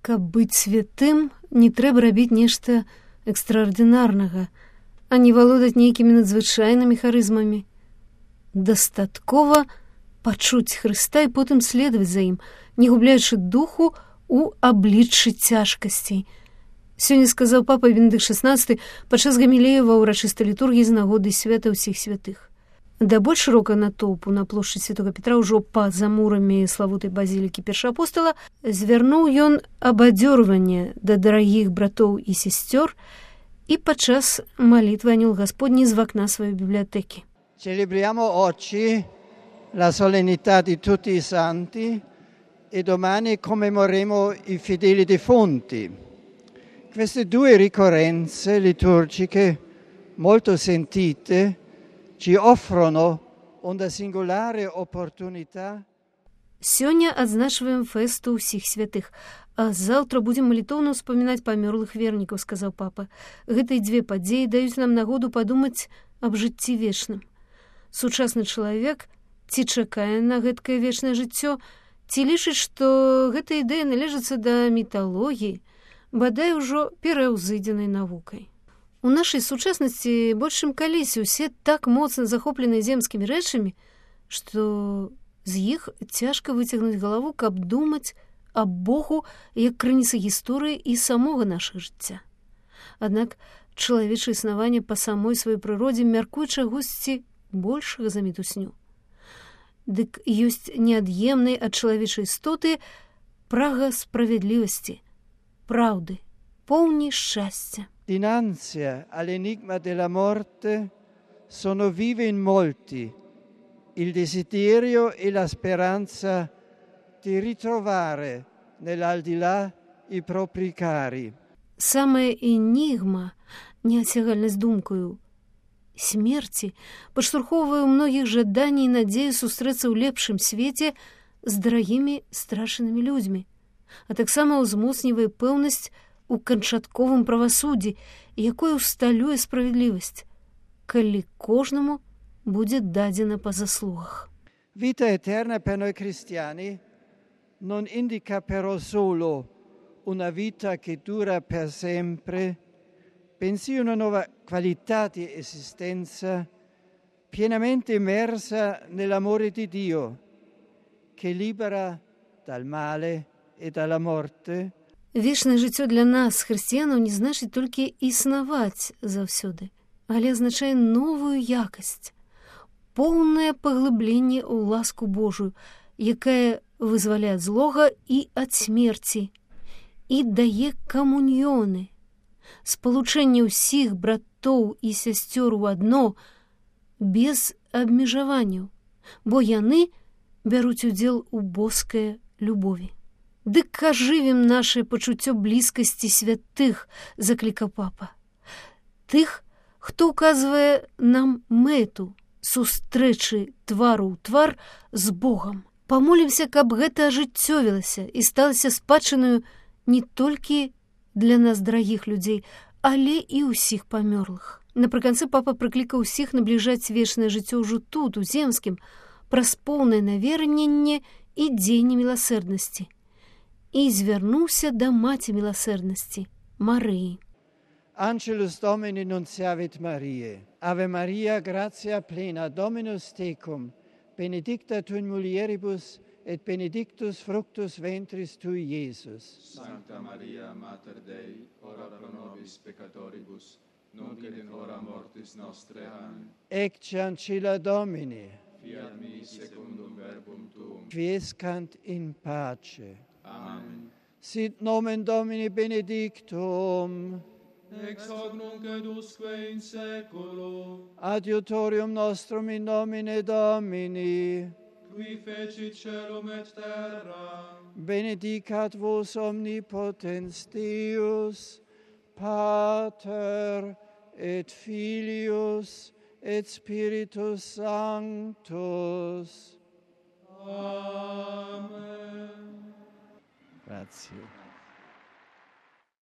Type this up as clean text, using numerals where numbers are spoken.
Каб быць святым, не трэба рабіць нешта экстраардынарнага, а не валодаць нейкімі надзвычайнымі харызмамі. Дастаткова пачуць Хрыста і потым следаваць за ім, не губляючы духу у абліччы цяжкасцей. Сёння сказаў папа Бенедыкт XVI падчас гамілеі ва ўрачыстай літургіі з нагоды свята ўсіх святых. Да больш шырокага натоўпу на плошчы Святога Петра ўжо па-за мурамі славутай базілікі першаапостала звярнуў ён абадзёрванне да дарагіх братоў і сясцёр і падчас малітвы анёл Гасподні з вакна сваёй бібліятэкі. Celebriamo oggi la solennità di tutti i santi e domani commemoreremo i fedeli defunti. Queste due ricorrenze liturgiche molto sentite ci offrono una singolare opportunità. Сёння адзначваем фэсту ўсіх святых, а заўтра будзем малітоўна ўспамінаць памёрлых вернікаў, сказаў папа. Гэтыя дзве падзеі даюць нам нагоду падумаць аб жыцці вечным. Сучасны чалавек ці чакае на гэткае вечнае жыццё, ці лічыць, што гэта ідэя належыцца да міталогіі, бадай ужо пераўзыдзенай навукай. У нашай сучаснасці больш чым калісьці усе так моцна захоплены земскімі рэчамі, што з іх цяжка выцягнуць галаву, каб думаць аб Богу як крыніцы гісторыі і самога нашага жыцця. Аднак чалавечае існаванне па самой сваёй прыродзе мяркуе чагосьці большага за мітусню. Дык ёсць неад'емнай ад чалавечай істоты прага справядлівасці, праўды, поўні шчасця. Dinanzi all'enigma della morte sono vive in molti il desiderio e la speranza di ritrovare nell'aldilà i propri cari. Самая энігма, неацягальнасць думкаю, смерці падштурхоўвае ў многіх жаданні і надзею сустрэцца ў лепшым свеце з дарагімі страшанымі людзьмі, а таксама ўзмоцнівае пэўнасць у канчатковым правасуддзі, якое усталюе справядлівасць, калі кожнаму будзе дадзена па заслугах. Vita eterna per noi cristiani non indica però solo una vita che dura per sempre, bensì una nuova qualità di esistenza pienamente immersa nell'amore di Dio, che libera dal male e dalla morte. Вечнае жыццё для нас, хрысціянаў, не значыць толькі існаваць заўсёды, але азначае новую якасць, поўнае паглыбленне ў ласку Божую, якая вызваляе ад злога і ад смерці, і дае камуньёны, спалучэнне ўсіх братоў і сясцёр у адно, без абмежаванняў, бо яны бяруць удзел у боскай любові. Дык ажывім наше пачуццё блізкасці святых, заклікаў папа. Тых, хто ўказвае нам мэту сустрэчы твару ў твар з Богам. Памолімся, каб гэта ажыццёвілася і сталася спадчынаю не толькі для нас дарагіх людзей, але і ўсіх памёрлых. Напрыканцы папа прыклікаў усіх набліжаць вечнае жыццё ўжо тут, у земскім, праз поўнае наверненне і дзеянне міласэрнасці. І звярнуўся да маці міласэрнасці, Марыі. Angelus Domini nunciavit Mariae. Ave Maria, gratia plena, Dominus tecum, benedicta tu in mulieribus, et benedictus fructus ventris tui, Iesus. Sancta Maria, Mater Dei, ora pro nobis peccatoribus, nunc et in hora mortis nostrae. Amen. Ecce ancilla Domini. Fiat mi secundum verbum tuum. Quiescant in pace. Amen. Sit nomen Domini benedictum. Ex hoc nunc et usque in saeculo. Adiutorium nostrum in nomine Domini. Qui fecit caelum et terra. Benedicat vos omnipotens Deus, Pater et Filius et Spiritus Sanctus. Amen. Grazie.